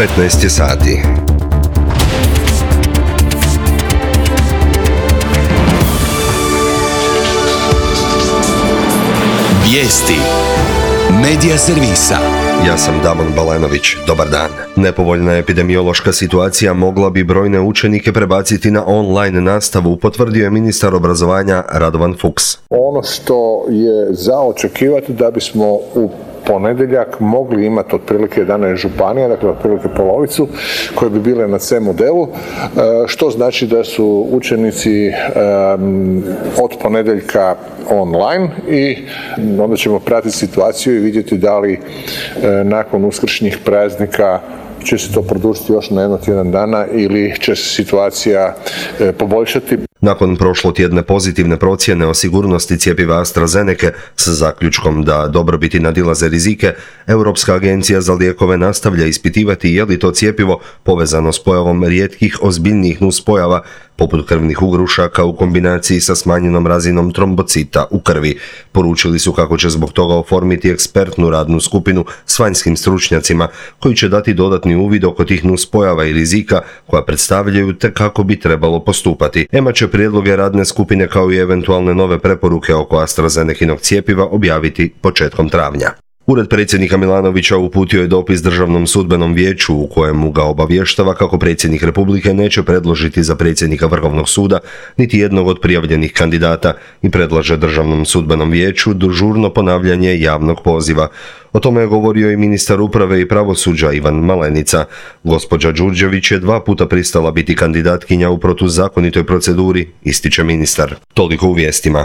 15 je sati. Vijesti Medija servisa. Ja sam Damon Balenović. Dobar dan. Nepovoljna epidemiološka situacija mogla bi brojne učenike prebaciti na online nastavu, potvrdio je ministar obrazovanja Radovan Fuchs. Ono što je za očekivati da bismo u ponedjeljak mogli imati otprilike 11 županija, dakle otprilike polovicu, koje bi bile na C modelu, što znači da su učenici od ponedjeljka online i onda ćemo pratiti situaciju i vidjeti da li nakon uskršnjih praznika će se to produžiti još na tjedan dana ili će se situacija poboljšati. Nakon prošlotjedne pozitivne procjene o sigurnosti cjepiva AstraZeneca s zaključkom da dobrobiti nadilaze rizike, Europska agencija za lijekove nastavlja ispitivati je li to cjepivo povezano s pojavom rijetkih ozbiljnijih nuspojava poput krvnih ugrušaka u kombinaciji sa smanjenom razinom trombocita u krvi. Poručili su kako će zbog toga oformiti ekspertnu radnu skupinu s vanjskim stručnjacima koji će dati dodatni uvid oko tih nuspojava i rizika koja predstavljaju te kako bi trebalo postupati. EMA će prijedloge radne skupine kao i eventualne nove preporuke oko AstraZenekinog cjepiva objaviti početkom travnja. Ured predsjednika Milanovića uputio je dopis Državnom sudbenom vijeću u kojemu ga obavještava kako predsjednik Republike neće predložiti za predsjednika Vrhovnog suda niti jednog od prijavljenih kandidata i predlaže Državnom sudbenom vijeću žurno ponavljanje javnog poziva. O tome je govorio i ministar uprave i pravosuđa Ivan Malenica. Gospođa Đurđević je 2 puta pristala biti kandidatkinja u protuzakonitoj proceduri, ističe ministar. Toliko u vijestima.